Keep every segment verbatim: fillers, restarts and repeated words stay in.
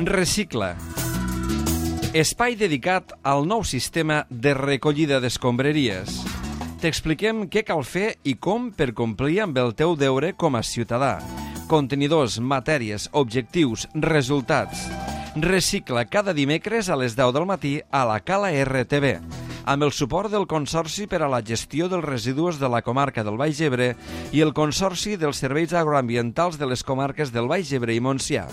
Recicla. Espai dedicat al nou sistema de recollida d'escombraries. T'expliquem què cal fer i com per complir amb el teu deure com a ciutadà. Contenidors, matèries, objectius, resultats. Recicla cada dimecres a les deu del matí a la Cala R T V, amb el suport del Consorci per a la Gestió dels Residus de la Comarca del Baix Ebre i el Consorci dels Serveis Agroambientals de les comarques del Baix Ebre i Montsià.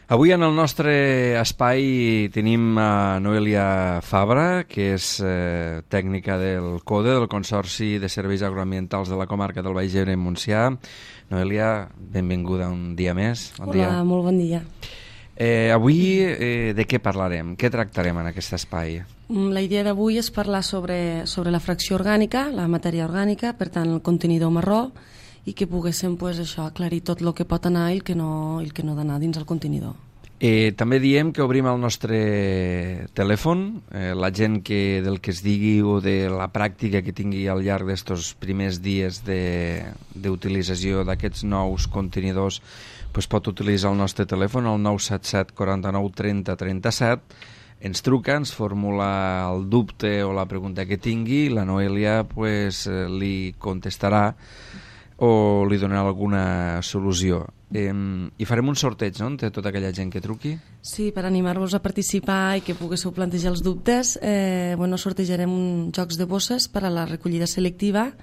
Avui en el nostre espai tenim a Noelia Fabra, que és eh, tècnica del CODE, del Consorci de Serveis Agroambientals de la Comarca del Baix Ebre i Montsià. Noelia, benvinguda un dia més. Bon Hola, dia. Molt bon dia. Eh, avui eh, de què parlarem? Què tractarem en aquest espai? La idea d'avui és parlar sobre, sobre la fracció orgànica, la matèria orgànica, per tant el contenidor marró, i que poguéssim pues, això, aclarir tot el que pot anar i el que no, el que no ha d'anar dins el contenidor. Eh, també diem que obrim el nostre telèfon. Eh, la gent que del que es digui o de la pràctica que tingui al llarg d'estos primers dies d'utilització d'aquests nous contenidors pues pot utilitzar el nostre telèfon, el nou set set quaranta-nou trenta trenta-set. Ens truca, ens formula el dubte o la pregunta que tingui, la Noelia pues, li contestarà o li donarà alguna solució. Eh, I farem un sorteig, no?, entre tota aquella gent que truqui. Sí, per animar-vos a participar i que poguéssiu plantejar els dubtes, eh, bueno, sortejarem un jocs de bosses per a la recollida selectiva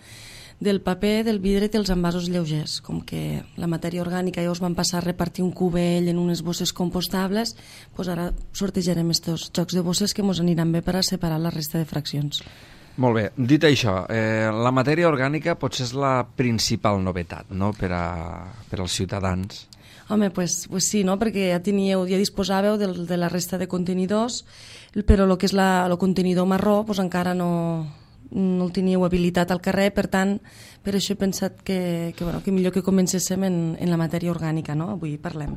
del paper, del vidre i dels envasos lleugers. Com que la matèria orgànica ja us van passar a repartir un cubell en unes bosses compostables, doncs ara sortejarem aquests jocs de bosses que ens aniran bé per a separar la resta de fraccions. Molt bé, dit això, eh, la matèria orgànica potser és la principal novetat, no?, per, a, per als ciutadans. Home, pues, pues sí, no?, perquè ja teníeu, ja disposàveu de, de la resta de contenidors, però el que és la, el contenidor marró pues encara no, no el teníeu habilitat al carrer, per tant, per això he pensat que, que, bueno, que millor que comencéssim en, en la matèria orgànica, no?, avui parlem.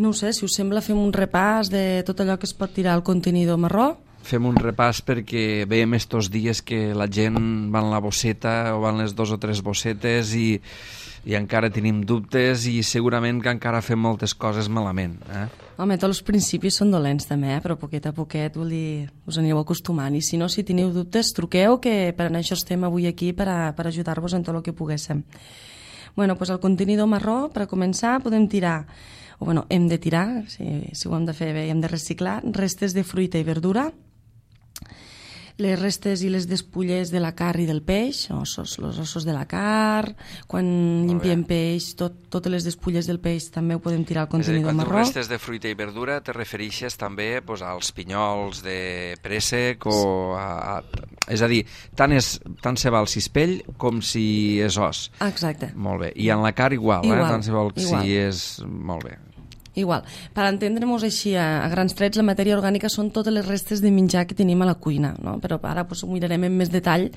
No ho sé, si us sembla fem un repàs de tot allò que es pot tirar al contenidor marró. Fem un repàs perquè veiem estos dies que la gent va en la bosseta o van les dos o tres bossetes i, i encara tenim dubtes i segurament que encara fem moltes coses malament. Eh? Home, tots els principis són dolents també, eh? Però poquet a poquet, vol dir, us anireu acostumant. I si no, si teniu dubtes, truqueu, que per això estem avui aquí per, a, per ajudar-vos en tot el que poguéssim. Bueno, doncs el contenidor marró, per començar, podem tirar, o bueno, hem de tirar, si, si ho hem de fer bé, hem de reciclar, restes de fruita i verdura, les restes i les despulles de la carn i del peix, ossos, els ossos de la carn, quan llimpiem peix, tot, totes les despulles del peix també ho podem tirar al contenidor marró. marró. Quan tu restes de fruita i verdura te refereixes també pues, als pinyols de préssec o a, a, és a dir, tant, és, tant se val si és pell com si és os. Exacte. Molt bé. I en la carn igual, igual eh? Tant se val igual. si és... Molt bé. Igual. Per entendre-nos així a, a grans trets, la matèria orgànica són totes les restes de menjar que tenim a la cuina, no? Però ara pues, ho mirarem en més detall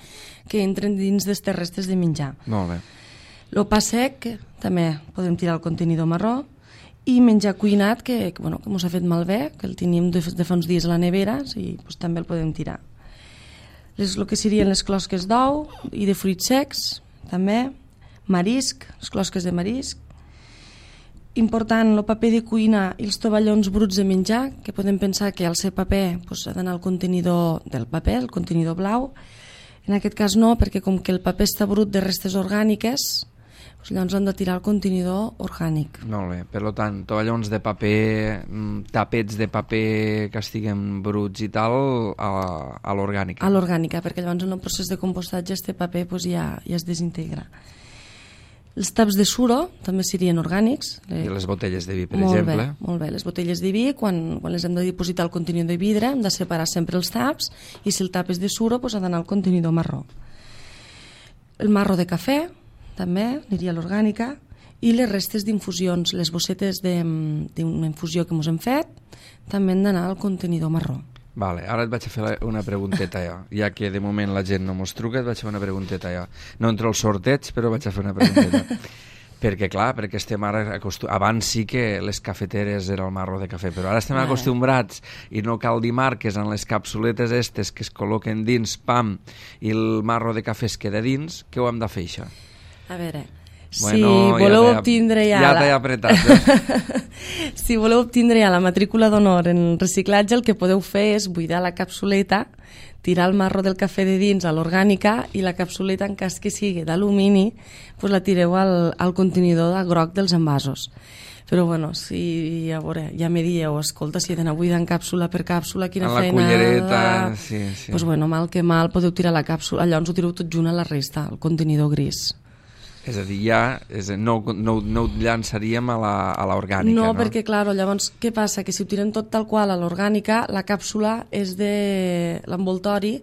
que entren dins d'aquestes restes de menjar. Molt bé. El pa sec, també podem tirar al contenidor marró, i menjar cuinat, que, que, bueno, que ens ha fet malbé, que el tenim de, de fa uns dies a la nevera, i pues, també el podem tirar. Les, el que serien les closques d'ou i de fruits secs, també, marisc, les closques de marisc, important, el paper de cuina i els tovallons bruts de menjar, que podem pensar que al ser paper doncs, ha d'anar al contenidor del paper, el contenidor blau. En aquest cas no, perquè com que el paper està brut de restes orgàniques, doncs llavors han de tirar al contenidor orgànic. Molt bé, per tant, tovallons de paper, tapets de paper que estiguen bruts i tal, a, a l'orgànica. A l'orgànica, perquè llavors en el procés de compostatge este paper doncs, ja, ja es desintegra. Els taps de suro també serien orgànics. I les botelles de vi, per molt exemple. Bé, molt bé, les botelles de vi, quan, quan les hem de dipositar al contenidor de vidre, hem de separar sempre els taps, i si el tap és de suro, doncs ha d'anar al contenidor marró. El marro de cafè, també, aniria a l'orgànica, i les restes d'infusions, les bossetes d'una infusió que ens hem fet, també han d'anar al contenidor marró. Vale, ara et vaig a fer una pregunteta jo, ja que de moment la gent no mos truca, et vaig a fer una pregunteta jo. No entro al sorteig, però vaig a fer una pregunteta. Perquè, clar, perquè estem ara acostumbrats... Abans sí que les cafeteres era el marro de cafè, però ara estem vale. acostumbrats i no cal dir marques en les capsuletes estes que es col·loquen dins, pam, i el marro de cafè es queda dins. Què ho hem de fer, això? A veure, Si bueno, voleu ja obtindre ja... Ja la... t'he apretat. Eh? Si voleu obtindre ja la matrícula d'honor en reciclatge, el que podeu fer és buidar la capsuleta, tirar el marro del cafè de dins a l'orgànica i la capsuleta, en cas que sigui d'alumini, pues la tireu al, al contenidor de groc dels envasos. Però bueno, si a veure, ja me dieu, escolta, si he d'anar buidant càpsula per càpsula, quina en la feina... cullereta, sí, sí. Pues bueno, mal que mal, podeu tirar la càpsula, llavors ho tireu tot junt a la resta, al contenidor gris. És a dir, ja és a dir, no, no, no ho llançaríem a la, a l'orgànica, no? No, perquè, clar, llavors, què passa? Que si ho tirem tot tal qual a l'orgànica, la càpsula és de... l'envoltori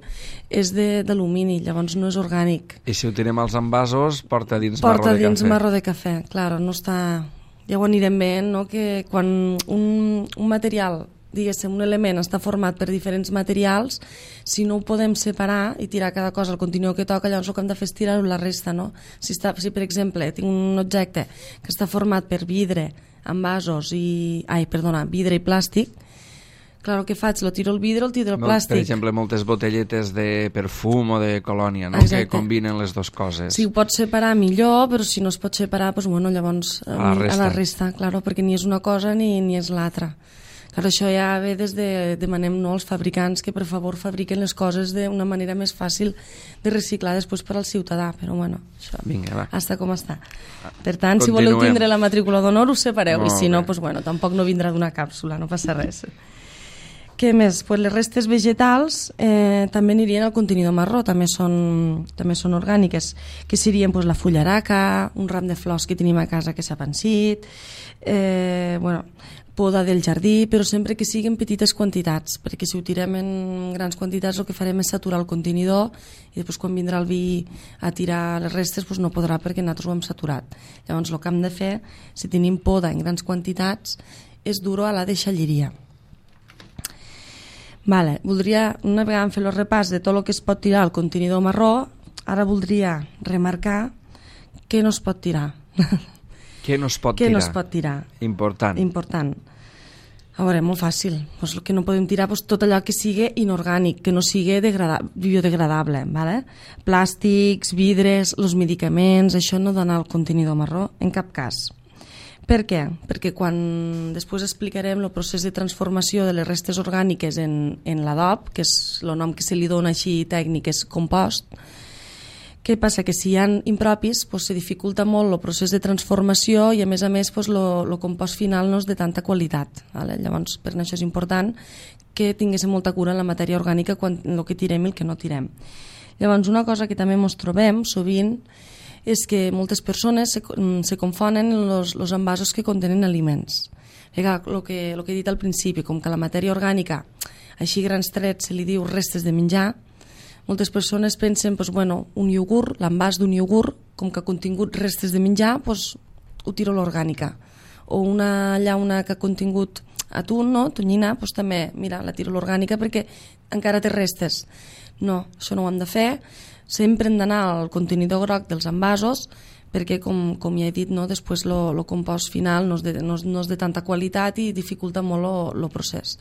és d'alumini, llavors no és orgànic. I si ho tirem als envasos, porta dins porta marro de dins cafè. marro de cafè, clar, no està... Ja ho anirem veient, no?, que quan un, un material, diguéssim, un element està format per diferents materials, si no ho podem separar i tirar cada cosa al contenidor que toca, llavors el que hem de fer és tirar-ho la resta, no? Si, està, si, per exemple, tinc un objecte que està format per vidre, envasos i... Ai, perdona, vidre i plàstic, clar, el que faig, lo tiro el vidre o el tiro el plàstic. Per exemple, moltes botelletes de perfum o de colònia, no? Exacte. Que combinen les dues coses. Si ho pots separar millor, però si no es pot separar, doncs, bueno, llavors a la resta, a la resta claro, perquè ni és una cosa ni, ni és l'altra. Clar, això ja ve des de... Demanem, no, als fabricants que per favor fabriquen les coses d'una manera més fàcil de reciclar després per al ciutadà, però bueno, això Vinga, va. està com està. Per tant, Continuem. Si voleu tindre la matrícula d'honor, us separeu, Molt i si no, bé. doncs, bueno, tampoc no vindrà d'una càpsula, no passa res. Què més? Pues les restes vegetals eh, també anirien al contenidor marró, també són, també són orgàniques, que serien pues, la fullaraca, un ram de flors que tenim a casa que s'ha pansit, eh, bueno, poda del jardí, però sempre que siguin petites quantitats, perquè si ho tirem en grans quantitats el que farem és saturar el contenidor i després quan vindrà el vi a tirar les restes pues no podrà perquè nosaltres ho hem saturat. Llavors el que hem de fer, si tenim poda en grans quantitats, és dur-ho a la deixalleria. Vale, voldria, una vegada fer el repàs de tot el que es pot tirar al contenidor marró, ara voldria remarcar què no es pot tirar. Què no es pot què tirar? no es pot tirar? Important. Important. A veure, molt fàcil. Pues el que no podem tirar pues, tot allò que sigui inorgànic, que no sigui biodegradable. Vale? Plàstics, vidres, els medicaments, això no dona al contenidor marró, en cap cas. Per què? Perquè quan després explicarem el procés de transformació de les restes orgàniques en, en l'adob, que és el nom que se li dona així tècnic, és compost, què passa? Que si hi ha impropis, pues, se dificulta molt el procés de transformació i a més a més pues, el compost final no és de tanta qualitat. Vale? Llavors, per això és important que tinguéssim molta cura en la matèria orgànica quan el que tirem i el que no tirem. Llavors, una cosa que també ens trobem sovint és que moltes persones se, se confonen els envasos que contenen aliments. El que, el que he dit al principi, com que la matèria orgànica, així grans trets, se li diu restes de menjar, moltes persones pensen, doncs, bueno, un iogurt, l'envàs d'un iogurt, com que ha contingut restes de menjar, doncs, ho tiro a l'orgànica. O una llauna que ha contingut atún, no? Tonyina, doncs també, mira, la tiro a l'orgànica perquè encara té restes. No, això no ho hem de fer. Sempre hem d'anar al contenidor groc dels envasos perquè, com, com ja he dit, no, després el compost final no és, de, no, és, no és de tanta qualitat i dificulta molt el procés.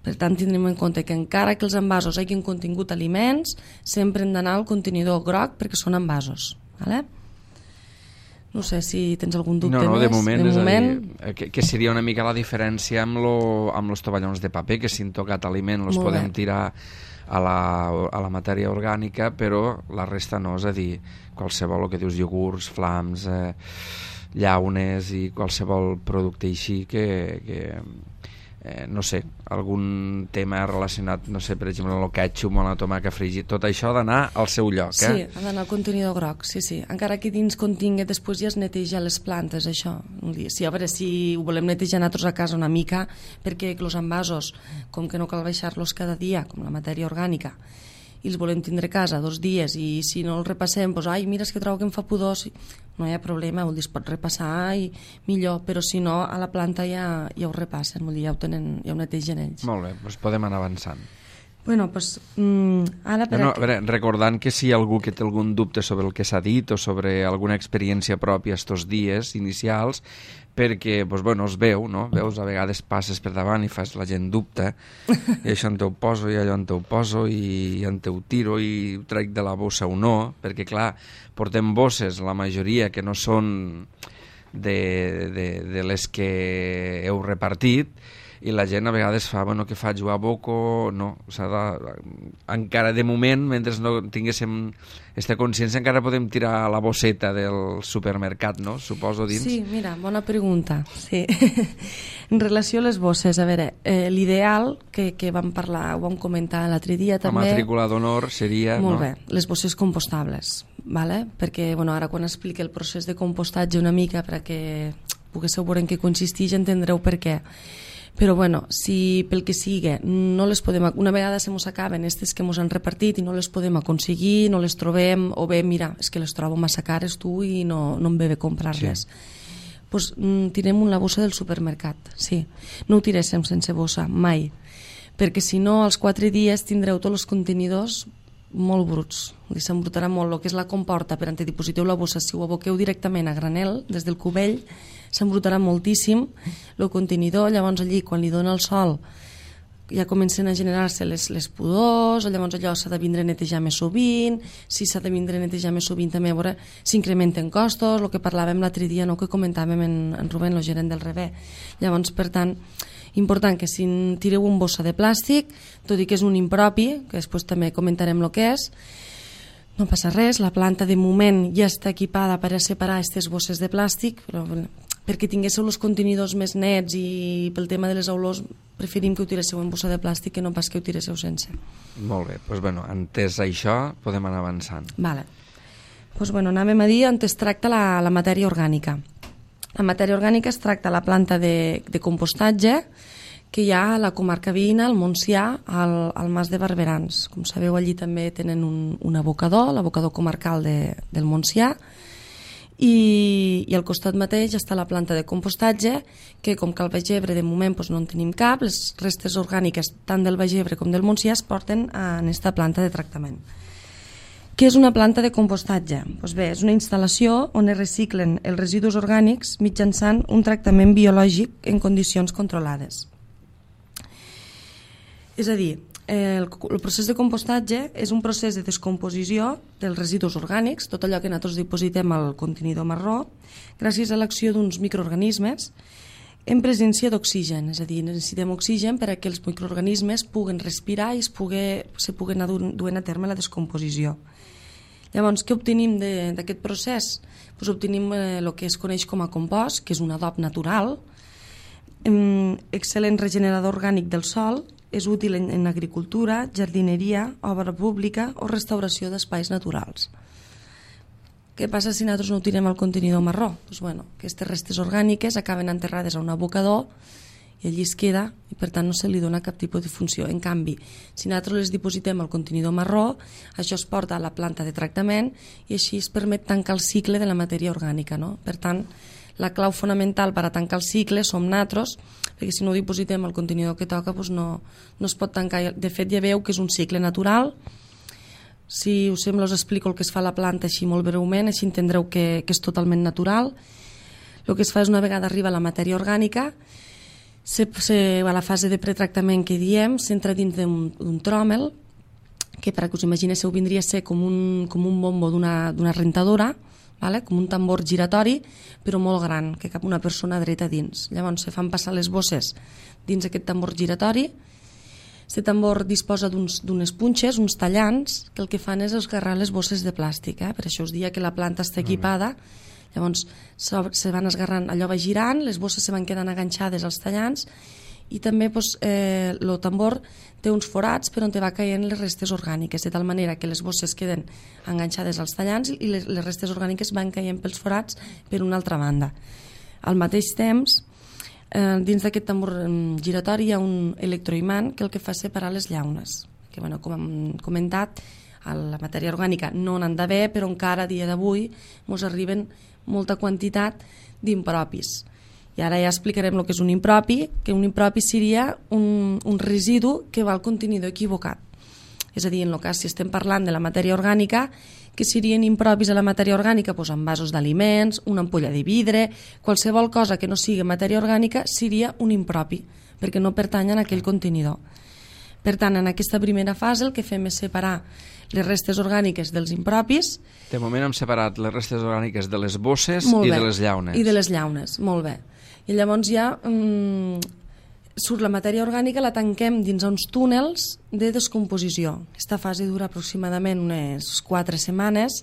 Per tant, tindrem en compte que encara que els envasos hagin contingut aliments, sempre hem d'anar al contenidor groc perquè són envasos. Vale? No sé si tens algun dubte no, no, més. De moment, de és moment... a dir, que, que seria una mica la diferència amb, lo, amb els tovallons de paper, que si han tocat aliment els podem bé. tirar a la, a la matèria orgànica, però la resta no, és a dir, qualsevol, el que dius, iogurts, flams, eh, llaunes i qualsevol producte així que, que eh, no sé, algun tema relacionat, no sé, per exemple, amb el ketchup o la tomaca fregit, tot això ha d'anar al seu lloc, eh? Sí, ha d'anar al contenidor groc, sí, sí. Encara que dins contingui, després ja es neteja les plantes, això. Sí, a veure, si ho volem netejar nosaltres a casa una mica, perquè els envasos, com que no cal baixar-los cada dia, com la matèria orgànica, i els volem tindre a casa dos dies, i si no els repassem, doncs, ai, mira, és que trobo que em fa pudor, no hi ha problema, vol dir, es pot repassar i millor, però si no, a la planta ja, ja ho repassen, vol dir, ja ho, tenen, ja ho netegen ells. Molt bé, doncs podem anar avançant. Bueno, pues, mm, ara per no, no, aquí... a veure, recordant que si hi ha algú que té algun dubte sobre el que s'ha dit o sobre alguna experiència pròpia estos dies inicials, perquè, doncs, bueno, es veu, no? Veus, a vegades passes per davant i fas la gent dubta, i això en te ho poso, i allò en te ho poso, i en te ho tiro, i ho trec de la bossa o no, perquè, clar, portem bosses, la majoria, que no són de, de, de les que heu repartit, i la gent a vegades fa, bueno, què faig, ho aboco, no, s'ha de, encara de moment, mentre no tinguéssim aquesta consciència, encara podem tirar la bosseta del supermercat, no? Suposo dins. Sí, mira, bona pregunta. Sí. En relació a les bosses, a veure, eh, l'ideal que, que vam parlar, ho vam comentar l'altre dia també... La matrícula d'honor seria... Molt no? bé, les bosses compostables, vale? Perquè bueno, ara quan expliqui el procés de compostatge una mica perquè poguéssiu veure en què consisteix entendreu per què. Però bueno, si pel que sigui no les podem, una vegada se mos acaben aquestes que mos han repartit i no les podem aconseguir, no les trobem, o bé, mira, és que les trobo massa cares tu i no, no em ve bé comprar-les, sí. Pues, mm, tirem la bossa del supermercat, sí. No ho tiréssim sense bossa, mai, perquè si no als quatre dies tindreu tots els contenidors molt bruts, s'embrutarà molt el que és la comporta per antedipositeu la bossa. Si ho aboqueu directament a granel des del cubell s'embrutarà moltíssim el contenidor, llavors allí quan li dona el sol ja comencen a generar-se les, les pudors, llavors allò s'ha de vindre a netejar més sovint, si s'ha de vindre a netejar més sovint també a veure s'incrementen costos, el que parlàvem l'altre dia, no, que comentàvem en, en Rubén, el gerent del Rebé. Llavors, per tant, important que si tireu un bossa de plàstic, tot i que és un impropi, que després també comentarem el que és, no passa res, la planta de moment ja està equipada per a separar aquestes bosses de plàstic, però perquè tinguéssiu els contenidors més nets i pel tema de les olors preferim que ho tiréssiu en bossa de plàstic que no pas que ho tiréssiu sense. Molt bé, doncs bueno, entès això podem anar avançant. Vale. Doncs bueno, anàvem a dir on es tracta la, la matèria orgànica. La matèria orgànica es tracta la planta de, de compostatge que hi ha a la comarca veïna, al Montsià, al, al Mas de Barberans. Com sabeu, allí també tenen un, un abocador, l'abocador comarcal de, del Montsià, i, i al costat mateix està la planta de compostatge, que com que al Baix-Ebre de moment doncs, no en tenim cap, les restes orgàniques tant del Baix-Ebre com del Montsià es porten en aquesta planta de tractament. Què és una planta de compostatge? Doncs bé, és una instal·lació on es reciclen els residus orgànics mitjançant un tractament biològic en condicions controlades. És a dir, el, el procés de compostatge és un procés de descomposició dels residus orgànics, tot allò que nosaltres dipositem al contenidor marró, gràcies a l'acció d'uns microorganismes en presència d'oxigen, és a dir, necessitem oxigen per a que els microorganismes puguen respirar i es, pugui, se puguen anar duent a terme la descomposició. Llavors, què obtenim d'aquest procés? Pues obtenim el que es coneix com a compost, que és un adob natural, excel·lent regenerador orgànic del sòl, és útil en, en agricultura, jardineria, obra pública o restauració d'espais naturals. Què passa si nosaltres no ho tirem al contenidor marró? Pues bueno, aquestes restes orgàniques acaben enterrades a un abocador i allí es queda i per tant no se li dona cap tipus de funció. En canvi, si nosaltres les dipositem al contenidor marró, això es porta a la planta de tractament i així es permet tancar el cicle de la matèria orgànica, no? Per tant, la clau fonamental per a tancar el cicle som nosaltres, perquè si no ho dipositem al contenidor que toca doncs no, no es pot tancar. De fet, ja veu que és un cicle natural. Si us sembla, us explico el que es fa a la planta així molt breument, així entendreu que, que és totalment natural. El que es fa és una vegada arriba la matèria orgànica, se, se, a la fase de pretractament que diem, s'entra dins d'un tròmel, que per a que us imagineu vindria a ser com un, com un bombo d'una rentadora, vale? Com un tambor giratori, però molt gran, que cap una persona dreta dins. Llavors se fan passar les bosses dins aquest tambor giratori. Aquest tambor disposa d'unes punxes, uns tallants, que el que fan és esgarrar les bosses de plàstic. Eh? Per això us dia que la planta està equipada. Llavors se van esgarrant, allò va girant, les bosses se van quedant enganxades als tallants i també doncs, eh, el tambor té uns forats per on te va caient les restes orgàniques, de tal manera que les bosses queden enganxades als tallants i les, les restes orgàniques van caient pels forats per una altra banda. Al mateix temps, eh, dins d'aquest tambor giratori hi ha un electroimant que el que fa és separar les llaunes, que bueno, com hem comentat, a la matèria orgànica no n'han d'haver, però encara a dia d'avui ens arriben molta quantitat d'impropis. I ara ja explicarem el que és un impropi, que un impropi seria un, un residu que va al contenidor equivocat. És a dir, en el cas, si estem parlant de la matèria orgànica, que serien impropis a la matèria orgànica, doncs envasos d'aliments, una ampolla de vidre, qualsevol cosa que no sigui matèria orgànica seria un impropi, perquè no pertany a aquell contenidor. Per tant, en aquesta primera fase el que fem és separar les restes orgàniques dels impropis. De moment hem separat les restes orgàniques de les bosses i de les llaunes. I de les llaunes, molt bé. I llavors ja mm, surt la matèria orgànica, la tanquem dins uns túnels de descomposició. Aquesta fase dura aproximadament unes quatre setmanes.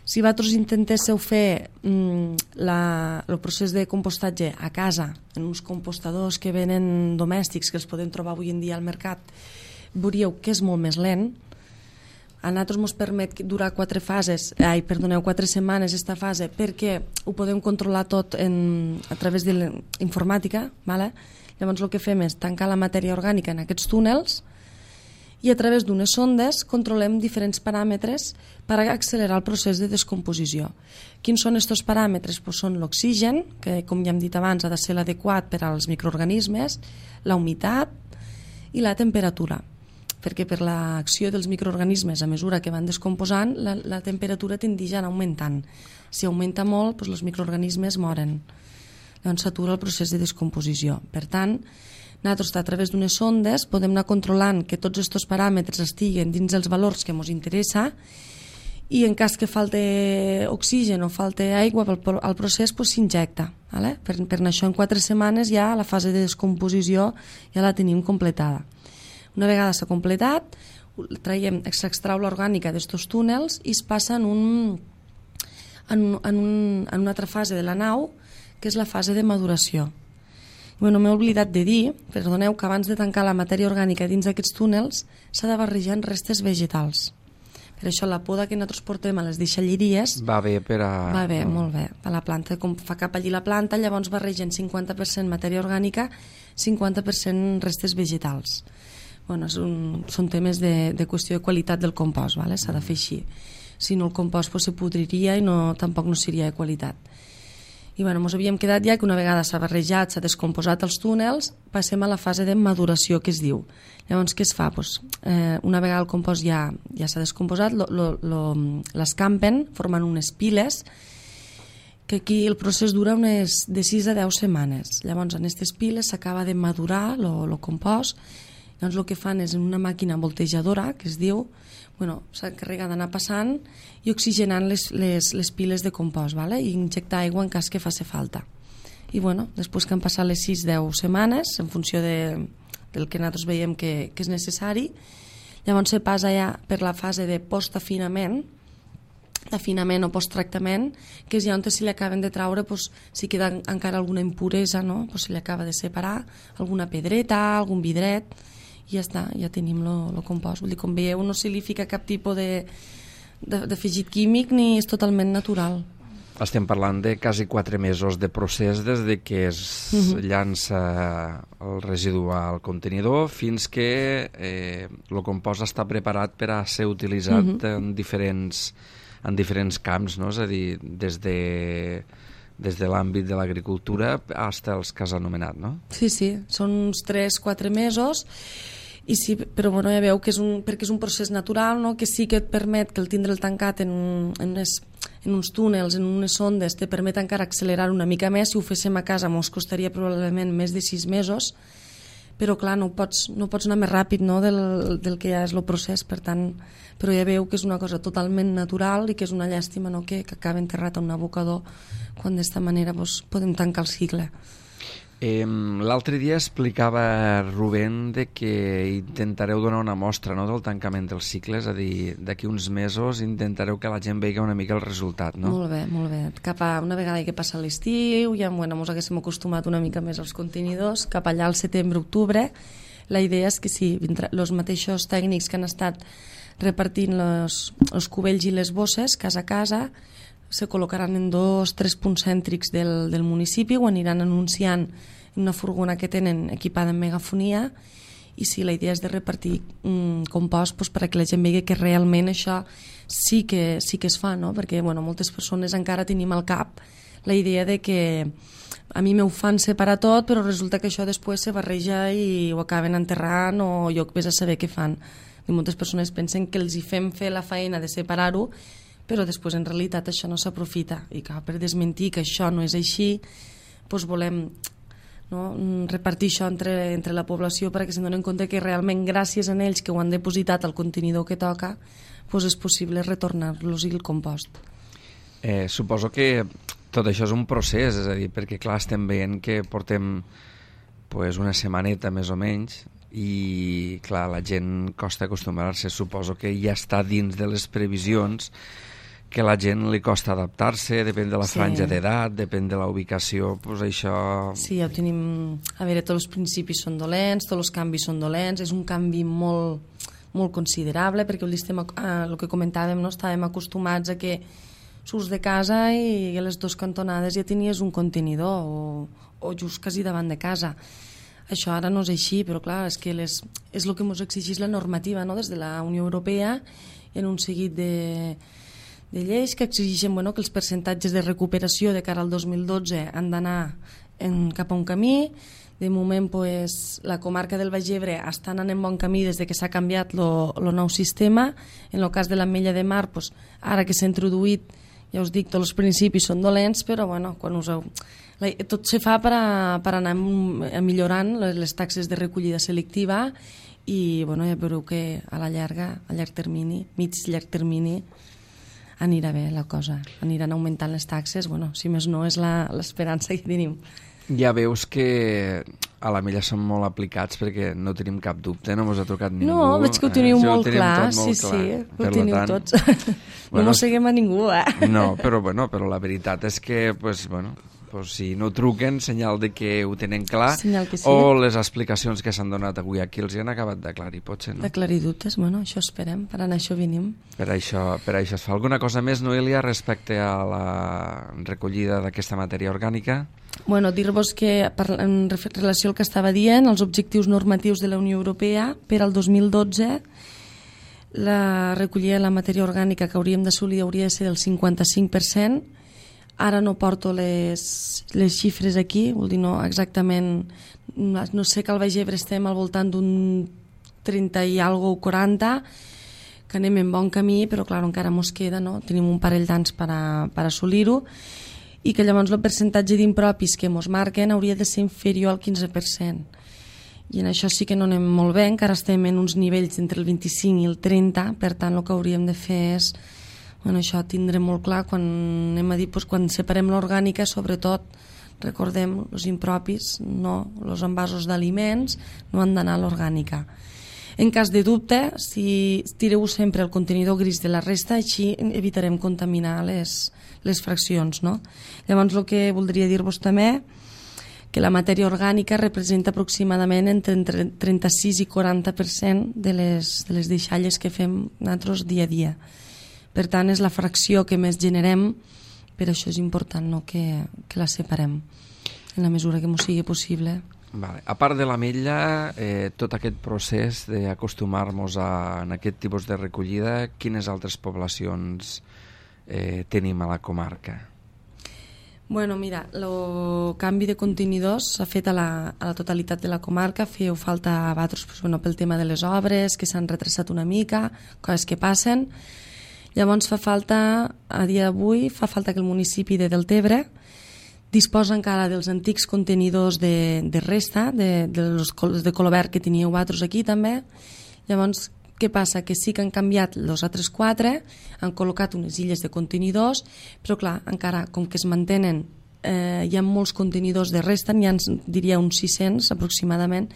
Si vosaltres intentéssiu fer mm, la, el procés de compostatge a casa, en uns compostadors que venen domèstics, que els podem trobar avui en dia al mercat, veuríeu que és molt més lent. A nosaltres ens permet durar quatre fases, ai, perdoneu, quatre setmanes aquesta fase, perquè ho podem controlar tot en, a través de l'informàtica, ¿vale? Llavors el que fem és tancar la matèria orgànica en aquests túnels i a través d'unes sondes controlem diferents paràmetres per accelerar el procés de descomposició. Quins són aquests paràmetres? Pues són l'oxigen, que com ja hem dit abans ha de ser l'adequat per als microorganismes, la humitat i la temperatura, perquè per l'acció dels microorganismes a mesura que van descomposant la, la temperatura tendeix a anar augmentant. Si augmenta molt, doncs els microorganismes moren. Llavors s'atura el procés de descomposició. Per tant, nosaltres, a través d'unes sondes, podem anar controlant que tots aquests paràmetres estiguen dins els valors que ens interessa i en cas que falte oxigen o falte aigua al procés pues, s'injecta. ¿Vale? Per, per això en quatre setmanes ja la fase de descomposició ja la tenim completada. Una vegada s'ha completat, traiem, s'extrau l'orgànica d'estos túnels i es passa en, un, en, un, en, un, en una altra fase de la nau, que és la fase de maduració. Bueno, m'he oblidat de dir, perdoneu, que abans de tancar la matèria orgànica dins d'aquests túnels s'ha de barrejar amb restes vegetals. Per això la poda que nosaltres portem a les deixalleries va bé per a... Va bé, molt bé. A la planta, com fa cap allí la planta, llavors barregen cinquanta per cent matèria orgànica, cinquanta per cent restes vegetals. Bueno, un, són temes de, de qüestió de qualitat del compost, ¿vale? S'ha de fer així. Si no, el compost pues, se podriria i no, tampoc no seria de qualitat. I bueno, ens havíem quedat ja que una vegada s'ha barrejat, s'ha descomposat els túnels, passem a la fase de maduració que es diu. Llavors, què es fa? Pues, eh, una vegada el compost ja, ja s'ha descomposat, l'escampen formant unes piles, que aquí el procés dura unes de sis a deu setmanes. Llavors, en aquestes piles s'acaba de madurar el compost. Llavors, el que fan és en una màquina voltejadora, que es diu, bueno, s'encarrega d'anar passant i oxigenant les, les, les piles de compost, ¿vale? I injectar aigua en cas que faci falta. I bueno, després que han passat les sis a deu setmanes, en funció de, del que nosaltres veiem que, que és necessari, llavors se passa ja per la fase de postafinament, d'afinament o posttractament, que és ja on se li acaben de traure, pues, si queda encara alguna impuresa, no? Pues se li acaba de separar, alguna pedreta, algun vidret, i ja està, ja tenim el compost. Vull dir, com veieu, no se li fica cap tipus de, de, de afegit químic ni és totalment natural. Estem parlant de quasi quatre mesos de procés des de que es uh-huh. llança el residu al contenidor fins que eh, el compost està preparat per a ser utilitzat uh-huh. en, diferents, en diferents camps, no? És a dir, des de... des de l'àmbit de l'agricultura fins als que has anomenat, no? Sí, sí, són uns tres a quatre mesos, i sí, però bueno, ja veu que és un, perquè és un procés natural, no? Que sí que et permet que el tindre'l tancat en, en, unes, en uns túnels, en unes sondes, te permet encara accelerar una mica més. Si ho féssim a casa ens costaria probablement més de sis mesos, però clar, no pots, no pots anar més ràpid, no? del, del que ja és el procés, per tant, però ja veu que és una cosa totalment natural i que és una llàstima, no? que, que acaba enterrat en un abocador quan d'esta manera doncs, podem tancar el cicle. Eh, L'altre dia explicava Rubén de que intentareu donar una mostra, no?, del tancament dels cicles, és a dir, d'aquí uns mesos intentareu que la gent vegi una mica el resultat, no? Molt bé, molt bé. Cap a una vegada que passa l'estiu, ja bueno, ens haguéssim acostumat una mica més als contenidors, cap allà al setembre-octubre, la idea és que sí, els mateixos tècnics que han estat repartint els cubells i les bosses casa a casa se col·locaran en dos, tres punts cèntrics del, del municipi, ho aniran anunciant en una furgona que tenen equipada en megafonia, i sí, la idea és de repartir um, compost doncs, perquè la gent vegi que realment això sí que, sí que es fa, no? Perquè bueno, moltes persones encara tenim al cap la idea de que a mi m'ho fan separar tot, però resulta que això després se barreja i ho acaben enterrant o jo vés a saber què fan. I moltes persones pensen que els hi fem fer la feina de separar-ho, però després en realitat això no s'aprofita. I clar, per desmentir que això no és així, doncs volem, no, repartir això entre, entre la població perquè se'n donen compte que realment gràcies a ells que ho han depositat al contenidor que toca, doncs és possible retornar-los el compost. Eh, suposo que tot això és un procés, és a dir, perquè clar, estem veient que portem pues, una setmaneta més o menys i clar, la gent costa acostumbrar-se. Suposo que ja està dins de les previsions que a la gent li costa adaptar-se, depèn de la Sí. franja d'edat, depèn de la ubicació, pues això... Sí, ja ho tenim... A veure, tots els principis són dolents, tots els canvis són dolents, és un canvi molt, molt considerable, perquè el, estem, eh, el que comentàvem, no? Estàvem acostumats a que surts de casa i a les dues cantonades ja tenies un contenidor o, o just quasi davant de casa. Això ara no és així, però clar, és que les, és el que ens exigeix la normativa, no? Des de la Unió Europea i en un seguit de, de lleis que exigeixen, bueno, que els percentatges de recuperació de cara al dos mil dotze han d'anar cap a un camí. De moment, pues, la comarca del Baix Ebre està anant en bon camí des de que s'ha canviat el nou sistema. En el cas de l'Ametlla de Mar, pues, ara que s'ha introduït, ja us dic, tots els principis són dolents, però bueno, quan us heu... tot se fa per, a, per anar millorant les taxes de recollida selectiva i bueno, ja veureu que a la llarga, a llarg termini, mig llarg termini, anirà bé la cosa, aniran augmentant les taxes, bueno, si més no és l'esperança que tenim. Ja veus que a l'Ametlla som molt aplicats perquè no tenim cap dubte, no mos ha trucat ningú. No, veig que ho teniu eh, molt ho clar, molt sí, clar. sí, Per ho teniu tant, tots. bueno, no mosseguem a ningú, eh? No, però, bueno, però la veritat és que, pues, bueno, pues, si no truquen, senyal de que ho tenen clar, Senyal que sí. o les explicacions que s'han donat avui aquí els hi han acabat d'aclarir, potser, no? D'aclarir dubtes, bueno, això esperem, per anar això venim. Per això, per això es fa alguna cosa més, Noelia, respecte a la recollida d'aquesta matèria orgànica? Bueno, dir-vos que en relació al que estava dient, els objectius normatius de la Unió Europea per al dos mil dotze, la recollida de la matèria orgànica que hauríem d'assolir hauria de ser del cinquanta-cinc per cent. Ara no porto les, les xifres aquí, vol dir, no exactament, no sé que al Baix Ebre estem al voltant d'un trenta i algo o quaranta, que anem en bon camí, però clar, encara mos queda, no? Tenim un parell d'anys per, a, per assolir-ho, i que llavors el percentatge d'impropis que ens marquen hauria de ser inferior al quinze per cent. I en això sí que no anem molt bé, encara estem en uns nivells entre el vint-i-cinc i el trenta, per tant el que hauríem de fer és, bueno, això tindre molt clar quan anem a dir, doncs, quan separem l'orgànica, sobretot recordem els impropis, no, els envasos d'aliments no han d'anar a l'orgànica. En cas de dubte, si tireu sempre el contenidor gris de la resta, així evitarem contaminar les, les fraccions, no? Llavors, el que voldria dir-vos també, que la matèria orgànica representa aproximadament entre, entre trenta-sis i quaranta per cent de les, de les deixalles que fem nosaltres dia a dia. Per tant, és la fracció que més generem, per això és important, no?, que, que la separem en la mesura que ens sigui possible. Vale. A part de l'Ametlla, eh, tot aquest procés d'acostumar-nos a, en aquest tipus de recollida, quines altres poblacions eh, tenim a la comarca? Bueno, mira, el canvi de contenidors s'ha fet a la, a la totalitat de la comarca, feu falta a vosaltres, pues, bueno, pel tema de les obres, que s'han retrasat una mica, coses que passen. Llavors fa falta, a dia d'avui, fa falta que el municipi de Deltebre disposa encara dels antics contenidors de, de resta, de, de, los, de color verd que teníeu vosaltres aquí també. Llavors, què passa? Que sí que han canviat els altres quatre, han col·locat unes illes de contenidors, però clar, encara com que es mantenen, eh, hi ha molts contenidors de resta, n'hi ha, diria, uns sis-cents aproximadament.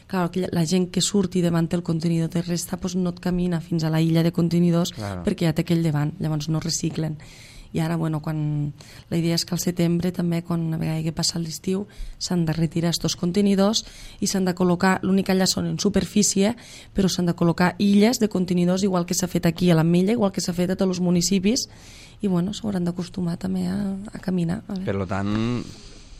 Clar, la gent que surti davant el contenidor de resta doncs no et camina fins a la illa de contenidors, claro, perquè ja té aquell davant, llavors no reciclen. I ara, bueno, quan... la idea és que al setembre també, quan a vegada que passa l'estiu, s'han de retirar aquests contenidors i s'han de col·locar, l'únic allà són en superfície, però s'han de col·locar illes de contenidors, igual que s'ha fet aquí a l'Ametlla, igual que s'ha fet a tots els municipis, i bueno, s'hauran d'acostumar també a, a caminar. A per tant,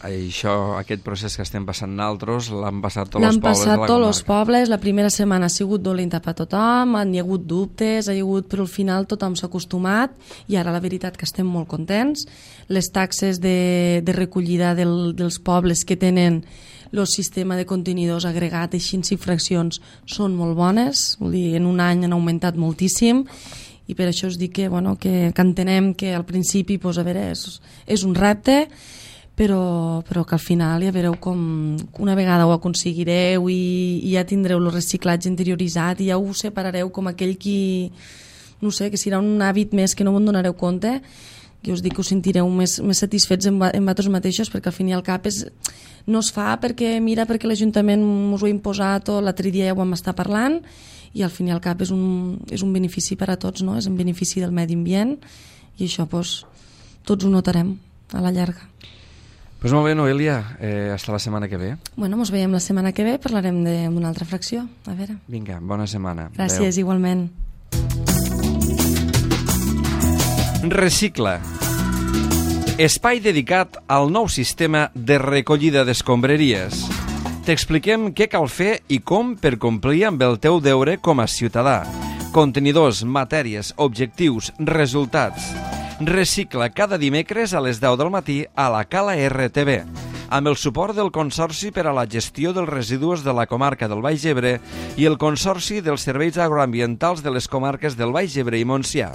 això, aquest procés que estem passant nosaltres l'han passat tots els pobles de la comarca. L'han passat tots els pobles, la primera setmana ha sigut dolenta per tothom, han hi ha hagut dubtes, ha hi ha hagut, però al final tothom s'ha acostumat i ara la veritat que estem molt contents. Les taxes de, de recollida del, dels pobles que tenen el sistema de contenidors agregat així i fraccions són molt bones, vull dir, en un any han augmentat moltíssim, i per això us dic que, bueno, que, que entenem que al principi pues, a veure, és, és un repte, però, però que al final ja veureu com una vegada ho aconseguireu i, i ja tindreu el reciclatge interioritzat i ja ho separareu com aquell qui, no sé, que serà un hàbit més que no me'n donareu compte, que us dic que us sentireu més, més satisfets en, en vosaltres mateixos, perquè al fin i al cap és, no es fa perquè mira perquè l'Ajuntament us ho ha imposat o l'altre dia ja ho vam estar parlant, i al fin i al cap és un, és un benefici per a tots, no? És un benefici del medi ambient i això pues, tots ho notarem a la llarga. Pues molt bé, Noelia, eh, hasta la setmana que ve. Bueno, ens veiem la setmana que ve, parlarem d'una altra fracció. A veure. Vinga, bona setmana. Gràcies, Adeu. Igualment. Recicla. Espai dedicat al nou sistema de recollida d'escombraries. T'expliquem què cal fer i com per complir amb el teu deure com a ciutadà. Contenidors, matèries, objectius, resultats. Recicla cada dimecres a les deu del matí a la Cala R T V, amb el suport del Consorci per a la Gestió dels Residus de la Comarca del Baix Ebre i el Consorci dels Serveis Agroambientals de les Comarques del Baix Ebre i Montsià.